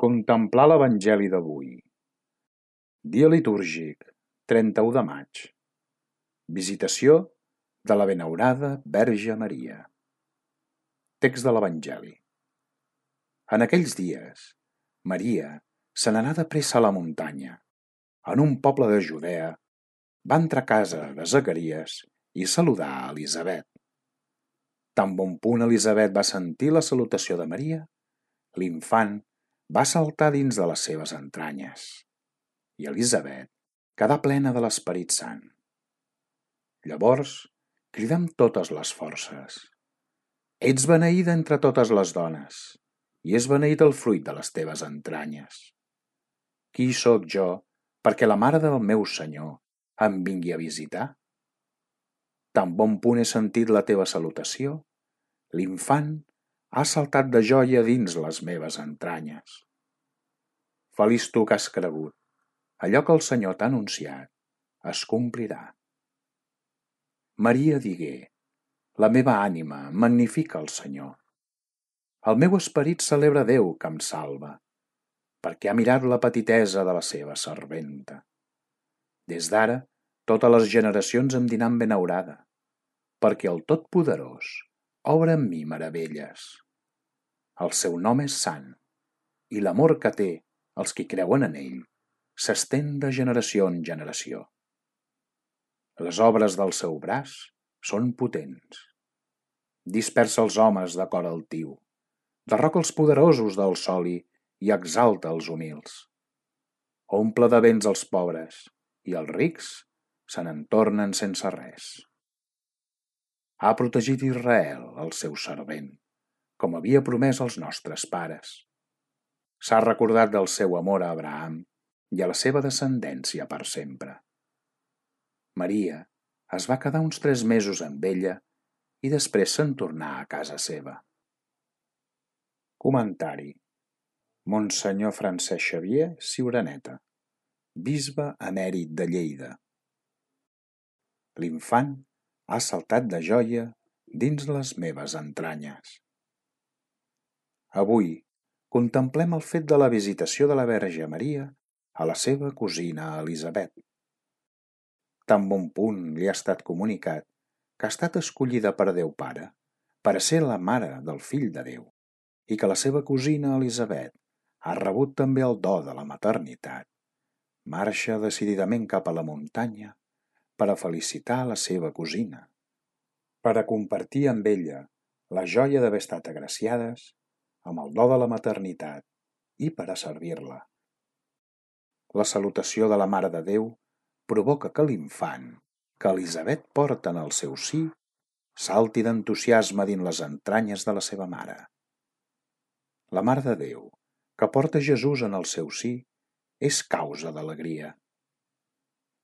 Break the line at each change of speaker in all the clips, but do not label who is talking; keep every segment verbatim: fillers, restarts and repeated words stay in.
Contemplar l'Evangeli d'avui. Dia litúrgic, trenta-u de maig. Visitació de la Benaurada Verge Maria. Text de l'Evangeli. En aquells dies, Maria se n'anà de pressa a la muntanya. En un poble de Judea va entrar a casa de Zacaries i saludar a Elisabet. Tan bon punt Elisabet va sentir la salutació de Maria, l'infant va saltar dins de les seves entranyes, i Elisabet quedà plena de l'Esperit Sant. Llavors cridà amb totes les forces: «Ets beneïda entre totes les dones, i és beneït el fruit de les teves entranyes. Qui sóc jo perquè la mare del meu Senyor em vingui a visitar? Tan bon punt he sentit la teva salutació, l'infant ha saltat de joia dins les meves entranyes. Feliç tu que has cregut, allò que el Senyor t'ha anunciat es complirà». Maria digué: «La meva ànima magnifica el Senyor. El meu esperit celebra Déu que em salva, perquè ha mirat la petitesa de la seva serventa. Des d'ara, totes les generacions em diran benaurada, perquè el Totpoderós obra en mi meravelles. El seu nom és sant, i l'amor que té els qui creuen en ell s'estén de generació en generació. Les obres del seu braç són potents. Dispersa els homes de cor altiu, derroca els poderosos del soli i exalta els humils. Omple de béns els pobres, i els rics se n'en tornen sense res. Ha protegit Israel, el seu servent, com havia promès als nostres pares. S'ha recordat del seu amor a Abraham i a la seva descendència per sempre. Maria es va quedar uns tres mesos amb ella i després se'n tornà a casa seva. Comentari: Monsenyor Francesc Xavier Ciuraneta, bisbe emèrit de Lleida. L'infant ha saltat de joia dins les meves entranyes. Avui contemplem el fet de la visitació de la Verge Maria a la seva cosina Elisabet. Tan bon punt li ha estat comunicat que ha estat escollida per Déu Pare per a ser la mare del Fill de Déu i que la seva cosina Elisabet ha rebut també el do de la maternitat, marxa decididament cap a la muntanya per a felicitar la seva cosina, per a compartir amb ella la joia d'haver estat agraciades amb el do de la maternitat i per a servir-la. La salutació de la Mare de Déu provoca que l'infant, que Elisabet porta en el seu si, salti d'entusiasme dins les entranyes de la seva mare. La Mare de Déu, que porta Jesús en el seu si, és causa d'alegria.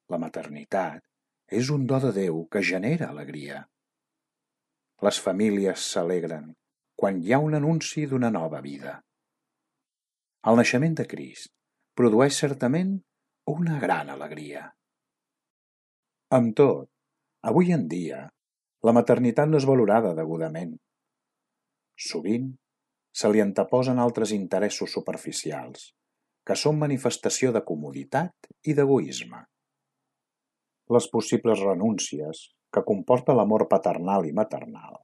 La maternitat és un do de Déu que genera alegria. Les famílies s'alegren quan hi ha un anunci d'una nova vida. El naixement de Crist produeix certament una gran alegria. Amb tot, avui en dia, la maternitat no és valorada degudament. Sovint se li anteposen altres interessos superficials, que són manifestació de comoditat i d'egoisme. Les possibles renúncies que comporta l'amor paternal i maternal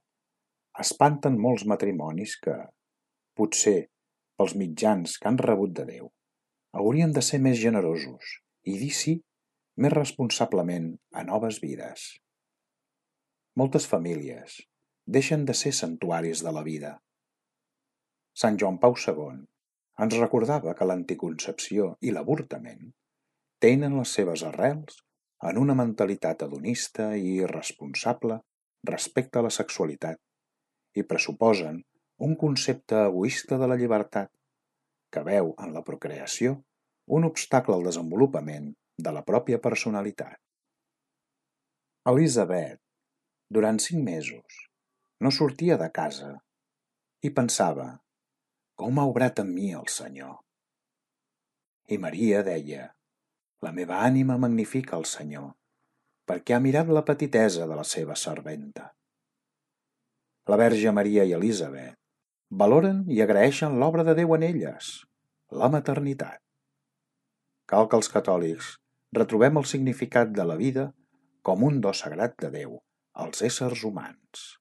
espanten molts matrimonis que, potser pels mitjans que han rebut de Déu, haurien de ser més generosos i dir sí més responsablement a noves vides. Moltes famílies deixen de ser santuaris de la vida. Sant Joan Pau segon ens recordava que l'anticoncepció i l'avortament tenen les seves arrels en una mentalitat hedonista i irresponsable respecte a la sexualitat i pressuposen un concepte egoista de la llibertat que veu en la procreació un obstacle al desenvolupament de la pròpia personalitat. Elisabet, durant cinc mesos, no sortia de casa i pensava: com ha obrat en mi el Senyor? I Maria deia: la meva ànima magnifica el Senyor, perquè ha mirat la petitesa de la seva serventa. La Verge Maria i Elisabet valoren i agraeixen l'obra de Déu en elles, la maternitat. Cal que els catòlics retrobem el significat de la vida com un do sagrat de Déu als éssers humans.